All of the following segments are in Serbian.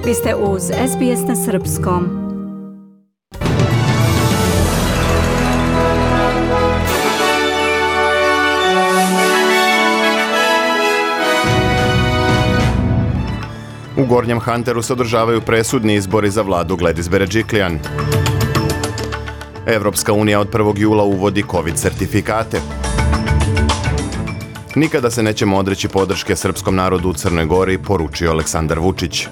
Vi ste uz SBS na srpskom. U Gornjem Hunteru se održavaju presudni izbori za vladu Gladys Berejiklian. Evropska unija od 1. jula uvodi COVID certifikate. Nikada se nećemo odreći podrške srpskom narodu u Crnoj Gori, poručio Aleksandar Vučić.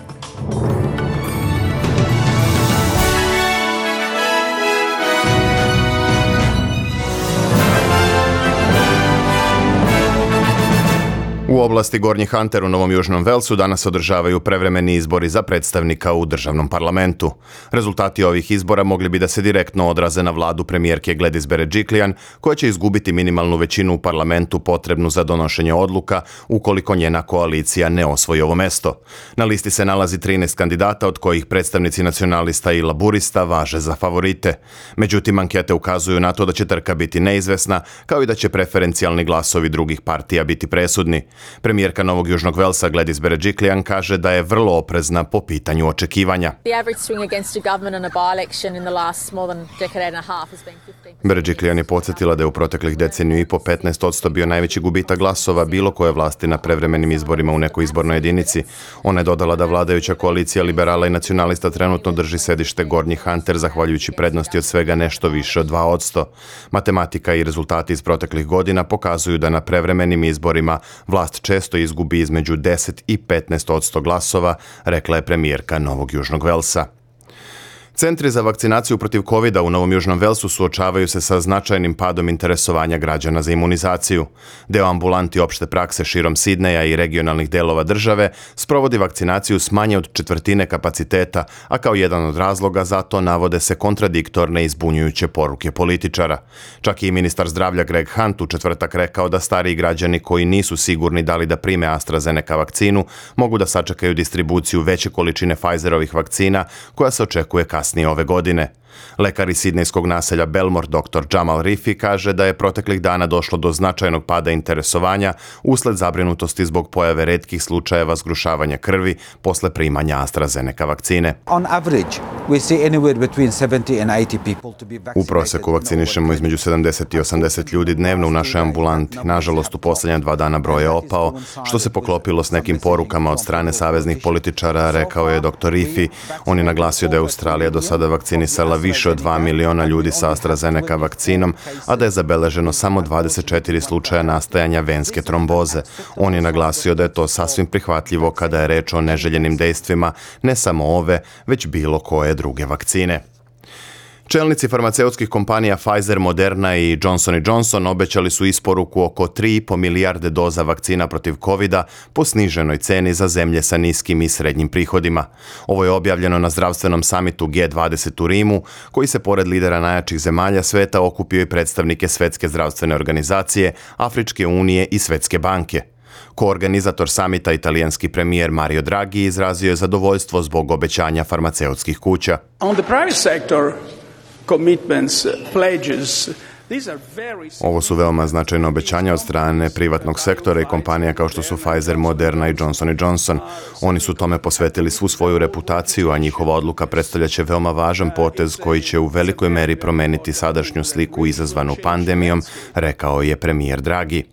U oblasti Gornji Hunter u Novom Južnom Velsu danas se održavaju prevremeni izbori za predstavnika u državnom parlamentu. Rezultati ovih izbora mogli bi da se direktno odraze na vladu premijerke Gladys Berejiklian, koja će izgubiti minimalnu većinu u parlamentu potrebnu za donošenje odluka ukoliko njena koalicija ne osvoji ovo mesto. Na listi se nalazi 13 kandidata, od kojih predstavnici nacionalista i laburista važe za favorite. Međutim, ankete ukazuju na to da će trka biti neizvesna, kao i da će preferencijalni glasovi drugih partija biti presudni. Premijerka Novog Južnog Velsa Gladys Berejiklian kaže da je vrlo oprezna po pitanju očekivanja. Berejiklian je podsjetila da je u proteklih deceniju i po 15% bio najveći gubitak glasova bilo koje vlasti na prevremenim izborima u nekoj izbornoj jedinici. Ona je dodala da vladajuća koalicija liberala i nacionalista trenutno drži sedište Gornji Hunter zahvaljujući prednosti od svega nešto više od 2%. Matematika i rezultati iz proteklih godina pokazuju da na prevremenim izborima vlast često izgubi između 10 i 15% glasova, rekla je premijerka Novog Južnog Velsa. Centri za vakcinaciju protiv COVID-a u Novom Južnom Velsu suočavaju se sa značajnim padom interesovanja građana za imunizaciju. Deo ambulanti opšte prakse širom Sidneja i regionalnih delova države sprovodi vakcinaciju s manje od četvrtine kapaciteta, a kao jedan od razloga za to navode se kontradiktorne i zbunjujuće poruke političara. Čak i ministar zdravlja Greg Hunt u četvrtak rekao da stariji građani koji nisu sigurni da li da prime AstraZeneca vakcinu mogu da sačekaju distribuciju veće količine Pfizerovih vakcina koja se očekuje kasnije ove godine. Lekar iz sidnejskog naselja Belmore, dr. Jamal Rifi, kaže da je proteklih dana došlo do značajnog pada interesovanja usled zabrinutosti zbog pojave retkih slučajeva zgrušavanja krvi posle primanja AstraZeneca vakcine. U proseku vakcinišemo između 70 i 80 ljudi dnevno u našoj ambulanti. Nažalost, u posljednja 2 dana broj je opao, što se poklopilo s nekim porukama od strane saveznih političara, rekao je dr. Rifi. On je naglasio da je Australija do sada vakcinisala više od 2 miliona ljudi sa AstraZeneca vakcinom, a da je zabeleženo samo 24 slučaja nastajanja venske tromboze. On je naglasio da je to sasvim prihvatljivo kada je reč o neželjenim dejstvima, ne samo ove, već bilo koje druge vakcine. Čelnici farmaceutskih kompanija Pfizer, Moderna i Johnson & Johnson obećali su isporuku oko 3,5 milijarde doza vakcina protiv COVID-a po sniženoj ceni za zemlje sa niskim i srednjim prihodima. Ovo je objavljeno na zdravstvenom samitu G20 u Rimu, koji se pored lidera najjačih zemalja sveta okupio i predstavnike Svetske zdravstvene organizacije, Afričke unije i Svetske banke. Koorganizator samita, italijanski premijer Mario Draghi, izrazio je zadovoljstvo zbog obećanja farmaceutskih kuća. Ovo su veoma značajne obećanja od strane privatnog sektora i kompanija kao što su Pfizer, Moderna i Johnson & Johnson. Oni su tome posvetili svu svoju reputaciju, a njihova odluka predstavljaće veoma važan potez koji će u velikoj meri promeniti sadašnju sliku izazvanu pandemijom, rekao je premijer Draghi.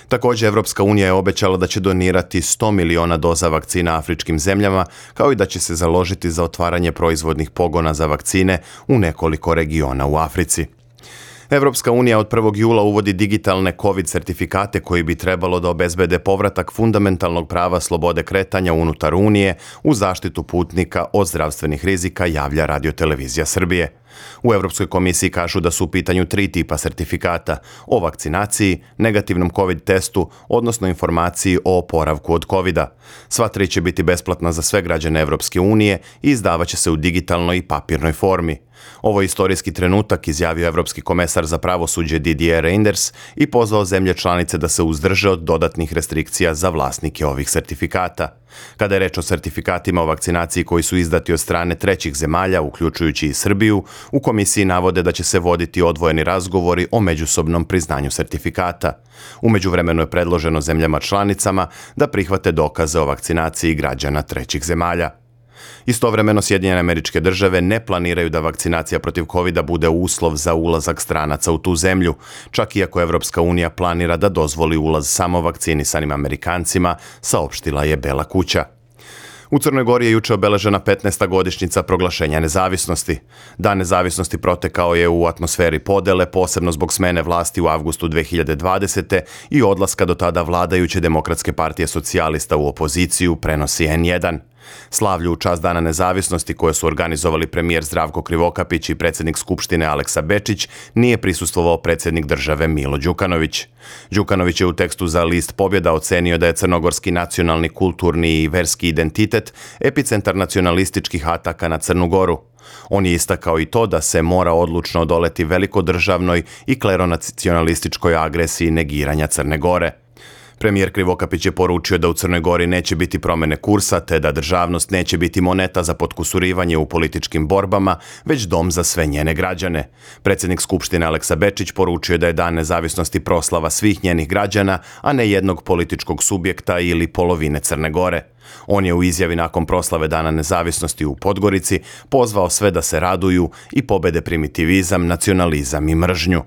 Također, Evropska unija je obećala da će donirati 100 miliona doza vakcina afričkim zemljama, kao i da će se založiti za otvaranje proizvodnih pogona za vakcine u nekoliko regiona u Africi. Evropska unija od 1. jula uvodi digitalne COVID certifikate koji bi trebalo da obezbede povratak fundamentalnog prava slobode kretanja unutar Unije u zaštitu putnika od zdravstvenih rizika, javlja Radio-televizija Srbije. U Evropskoj komisiji kažu da su u pitanju 3 tipa sertifikata: o vakcinaciji, negativnom COVID testu, odnosno informaciji o oporavku od COVID-a. Sva 3 će biti besplatna za sve građane Evropske unije i izdavaće se u digitalnoj i papirnoj formi. Ovo je istorijski trenutak, izjavio Evropski komesar za pravosuđe Didier Reynders i pozvao zemlje članice da se uzdrže od dodatnih restrikcija za vlasnike ovih sertifikata. Kada je reč o sertifikatima o vakcinaciji koji su izdati od strane trećih zemalja, uključujući i Srbiju, u komisiji navode da će se voditi odvojeni razgovori o međusobnom priznanju sertifikata. U međuvremenu je predloženo zemljama članicama da prihvate dokaze o vakcinaciji građana trećih zemalja. Istovremeno Sjedinjene Američke Države ne planiraju da vakcinacija protiv covida bude uslov za ulazak stranaca u tu zemlju, čak iako Evropska unija planira da dozvoli ulaz samo vakcinisanim Amerikancima, saopštila je Bela kuća. U Crnoj Gori je juče obeležena 15. godišnjica proglašenja nezavisnosti. Dan nezavisnosti protekao je u atmosferi podele, posebno zbog smene vlasti u avgustu 2020. i odlaska do tada vladajuće Demokratske partije socijalista u opoziciju, prenosi N1. Slavlju u čast Dana nezavisnosti koje su organizovali premijer Zdravko Krivokapić i predsjednik Skupštine Aleksa Bečić, nije prisustvovao predsjednik države Milo Đukanović. Đukanović je u tekstu za list Pobjeda ocenio da je crnogorski nacionalni, kulturni i verski identitet epicentar nacionalističkih ataka na Crnu Goru. On je istakao i to da se mora odlučno odoleti velikodržavnoj i kleronacionalističkoj agresiji negiranja Crne Gore. Premijer Krivokapić je poručio da u Crnoj Gori neće biti promjene kursa, te da državnost neće biti moneta za potkusurivanje u političkim borbama, već dom za sve njene građane. Predsjednik Skupštine Aleksa Bečić poručio da je Dan nezavisnosti proslava svih njenih građana, a ne jednog političkog subjekta ili polovine Crne Gore. On je u izjavi nakon proslave Dana nezavisnosti u Podgorici pozvao sve da se raduju i pobede primitivizam, nacionalizam i mržnju.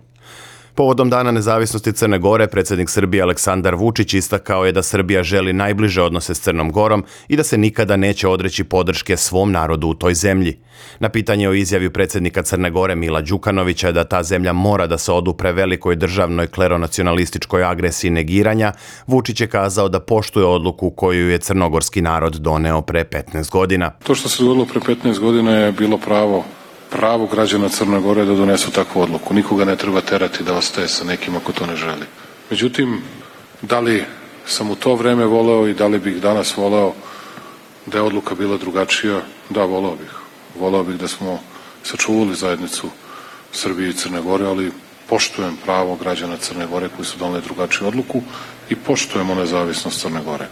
Povodom Dana nezavisnosti Crne Gore, predsjednik Srbije Aleksandar Vučić istakao je da Srbija želi najbliže odnose s Crnom Gorom i da se nikada neće odreći podrške svom narodu u toj zemlji. Na pitanje o izjavi predsjednika Crne Gore Mila Đukanovića da ta zemlja mora da se odupre velikoj državnoj kleronacionalističkoj agresiji negiranja, Vučić je kazao da poštuje odluku koju je crnogorski narod doneo pre 15 godina. To što se dogodilo pre 15 godina je bilo pravo građana Crne Gore da donesu takvu odluku. Nikoga ne treba terati da ostaje sa nekim ako to ne želi. Međutim, da li sam u to vreme voleo i da li bih danas voleo da je odluka bila drugačija? Da, voleo bih. Voleo bih da smo sačuvali zajednicu Srbije i Crne Gore, ali poštujem pravo građana Crne Gore koji su doneli drugačiju odluku i poštujemo nezavisnost Crne Gore.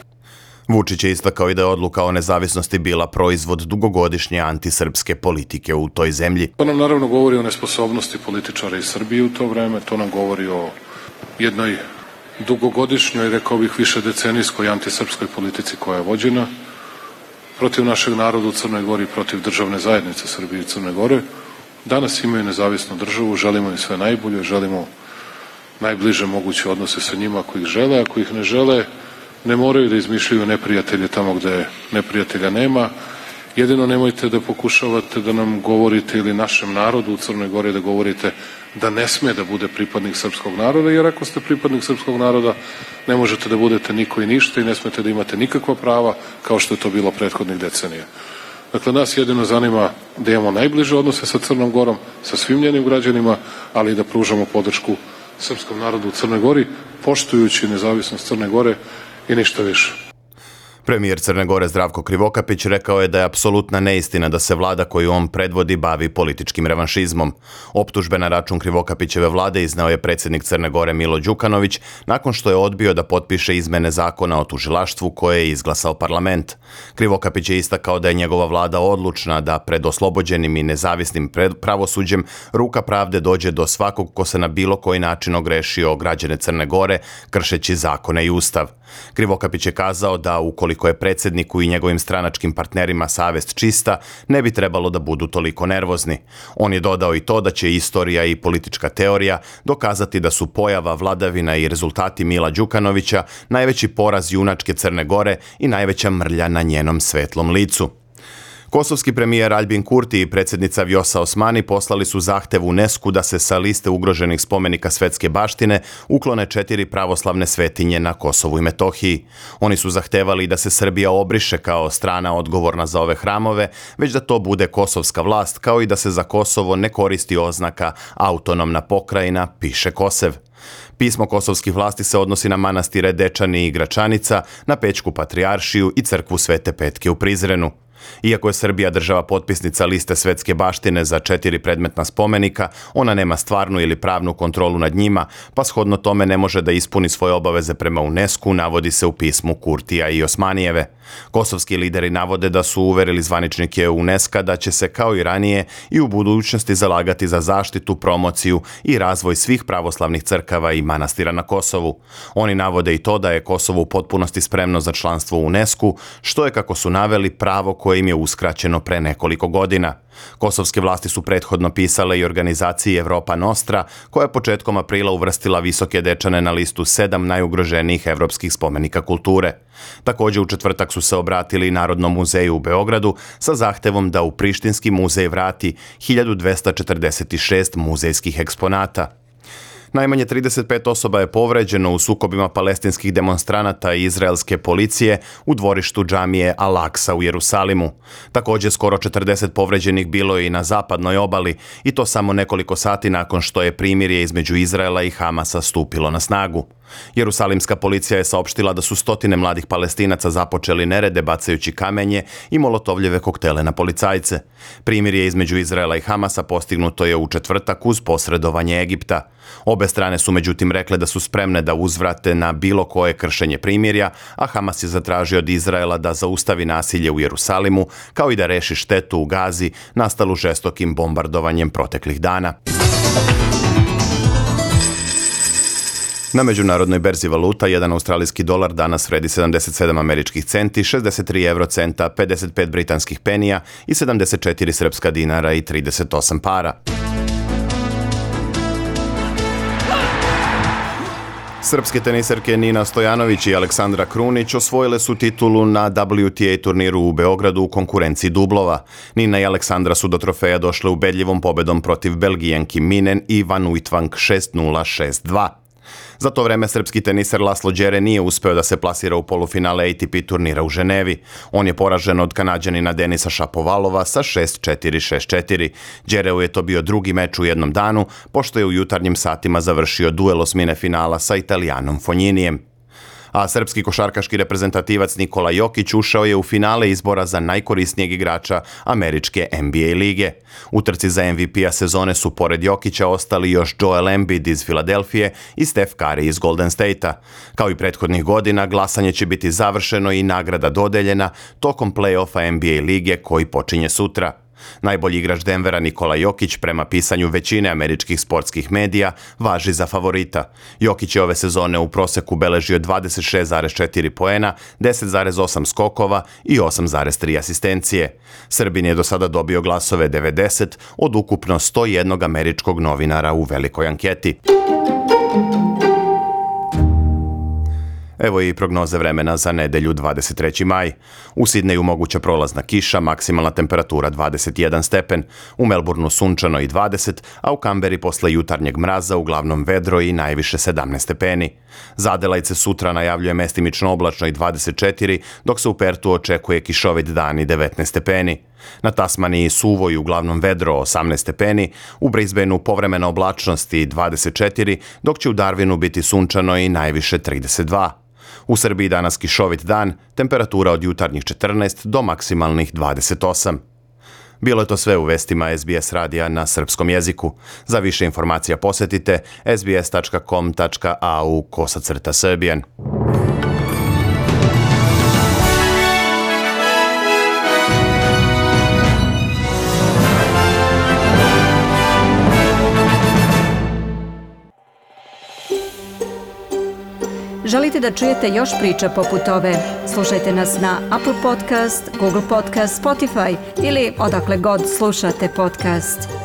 Vučić je istakao i da je odluka o nezavisnosti bila proizvod dugogodišnje antisrpske politike u toj zemlji. To nam naravno govori o nesposobnosti političara iz Srbije u to vreme, to nam govori o jednoj dugogodišnjoj, rekao bih višedecenijskoj antisrpskoj politici koja je vođena protiv našeg naroda u Crnoj Gori, protiv državne zajednice Srbije i Crne Gore. Danas imaju nezavisnu državu, želimo im sve najbolje, želimo najbliže moguće odnose sa njima ako ih žele, ako ih ne žele, ne moraju da izmišljaju neprijatelje tamo gde neprijatelja nema. Jedino nemojte da pokušavate da nam govorite ili našem narodu u Crnoj Gori da govorite da ne sme da bude pripadnik srpskog naroda, jer ako ste pripadnik srpskog naroda ne možete da budete niko i ništa i ne smete da imate nikakva prava kao što je to bilo prethodnih decenija. Dakle, nas jedino zanima da imamo najbliže odnose sa Crnom Gorom, sa svim njenim građanima, ali i da pružamo podršku srpskom narodu u Crnoj Gori, poštujući nezavisnost Crne Gore i ništa više. Premijer Crne Gore Zdravko Krivokapić rekao je da je apsolutna neistina da se vlada koju on predvodi bavi političkim revanšizmom. Optužbe na račun Krivokapićeve vlade izneo je predsjednik Crne Gore Milo Đukanović nakon što je odbio da potpiše izmene zakona o tužilaštvu koje je izglasao parlament. Krivokapić je istakao da je njegova vlada odlučna da pred oslobođenim i nezavisnim pravosuđem ruka pravde dođe do svakog ko se na bilo koji način ogrešio o građane Crne Gore kršeći zakone i ustav. Krivokapić je kazao da ukoliko je predsjedniku i njegovim stranačkim partnerima savest čista, ne bi trebalo da budu toliko nervozni. On je dodao i to da će istorija i politička teorija dokazati da su pojava, vladavina i rezultati Mila Đukanovića najveći poraz junačke Crne Gore i najveća mrlja na njenom svetlom licu. Kosovski premijer Aljbin Kurti i predsjednica Vjosa Osmani poslali su zahtev UNESCO da se sa liste ugroženih spomenika svetske baštine uklone 4 pravoslavne svetinje na Kosovu i Metohiji. Oni su zahtevali da se Srbija obriše kao strana odgovorna za ove hramove, već da to bude kosovska vlast, kao i da se za Kosovo ne koristi oznaka autonomna pokrajina, piše Kosev. Pismo kosovskih vlasti se odnosi na manastire Dečani i Gračanica, na Pećku patrijaršiju i crkvu Svete Petke u Prizrenu. Iako je Srbija država potpisnica liste svetske baštine za 4 predmetna spomenika, ona nema stvarnu ili pravnu kontrolu nad njima, pa shodno tome ne može da ispuni svoje obaveze prema UNESCO, navodi se u pismu Kurtija i Osmanijeve. Kosovski lideri navode da su uverili zvaničnike UNESCO da će se kao i ranije i u budućnosti zalagati za zaštitu, promociju i razvoj svih pravoslavnih crkava i manastira na Kosovu. Oni navode i to da je Kosovo u potpunosti spremno za članstvo u UNESCO, što je, kako su naveli, pravo koje koje im je uskraćeno pre nekoliko godina. Kosovske vlasti su prethodno pisale i organizaciji Evropa Nostra, koja je početkom aprila uvrstila Visoke Dečane na listu 7 najugroženijih evropskih spomenika kulture. Također u četvrtak su se obratili Narodnom muzeju u Beogradu sa zahtevom da u Prištinski muzej vrati 1246 muzejskih eksponata. Najmanje 35 osoba je povređeno u sukobima palestinskih demonstranata i izraelske policije u dvorištu džamije Al-Aksa u Jerusalimu. Također skoro 40 povređenih bilo je i na zapadnoj obali, i to samo nekoliko sati nakon što je primirje između Izraela i Hamasa stupilo na snagu. Jerusalimska policija je saopštila da su stotine mladih Palestinaca započeli nerede bacajući kamenje i molotovljeve koktele na policajce. Primirje između Izraela i Hamasa postignuto je u četvrtak uz posredovanje Egipta. Obe strane su međutim rekle da su spremne da uzvrate na bilo koje kršenje primirja, a Hamas je zatražio od Izraela da zaustavi nasilje u Jerusalimu, kao i da reši štetu u Gazi nastalu žestokim bombardovanjem proteklih dana. Na međunarodnoj berzi valuta, jedan australijski dolar danas vredi 77 američkih centi, 63 eurocenta, 55 britanskih penija i 74 srpska dinara i 38 para. Srpske teniserke Nina Stojanović i Aleksandra Krunić osvojile su titulu na WTA turniru u Beogradu u konkurenciji dublova. Nina i Aleksandra su do trofeja došle ubedljivom pobedom protiv Belgijanki Minen i Van Uytvanck 6-0, 6-2. Za to vreme srpski teniser Laslo Đere nije uspeo da se plasira u polufinale ATP turnira u Ženevi. On je poražen od Kanađanina Denisa Šapovalova sa 6-4, 6-4. Đereu je to bio drugi meč u jednom danu, pošto je u jutarnjim satima završio duel osmine finala sa Italijanom Fogninijem. A srpski košarkaški reprezentativac Nikola Jokić ušao je u finale izbora za najkorisnijeg igrača američke NBA lige. U trci za MVP-a sezone su pored Jokića ostali još Joel Embiid iz Filadelfije i Steph Curry iz Golden State-a. Kao i prethodnih godina, glasanje će biti završeno i nagrada dodeljena tokom play-offa NBA lige koji počinje sutra. Najbolji igrač Denvera Nikola Jokić, prema pisanju većine američkih sportskih medija, važi za favorita. Jokić je ove sezone u proseku beležio 26,4 poena, 10,8 skokova i 8,3 asistencije. Srbin je do sada dobio glasove 90 od ukupno 101 američkog novinara u velikoj anketi. Evo i prognoze vremena za nedelju 23. maj. U Sidneju moguća prolazna kiša, maksimalna temperatura 21 stepen, u Melbourneu sunčano i 20, a u Kamberi posle jutarnjeg mraza uglavnom vedro i najviše 17 stepeni. Za Adelajce sutra najavljuje mestimično oblačno i 24, dok se u Pertu očekuje kišovit dan i 19 stepeni. Na Tasmaniji suvo i uglavnom vedro 18 stepeni, u Brisbaneu povremena oblačnost i 24, dok će u Darwinu biti sunčano i najviše 32. U Srbiji danas kišovit dan, temperatura od jutarnjih 14 do maksimalnih 28. Bilo je to sve u vestima SBS radija na srpskom jeziku. Za više informacija posjetite sbs.com.au/Serbian. Želite da čujete još priča poput ove? Slušajte nas na Apple Podcast, Google Podcast, Spotify ili odakle god slušate podcast.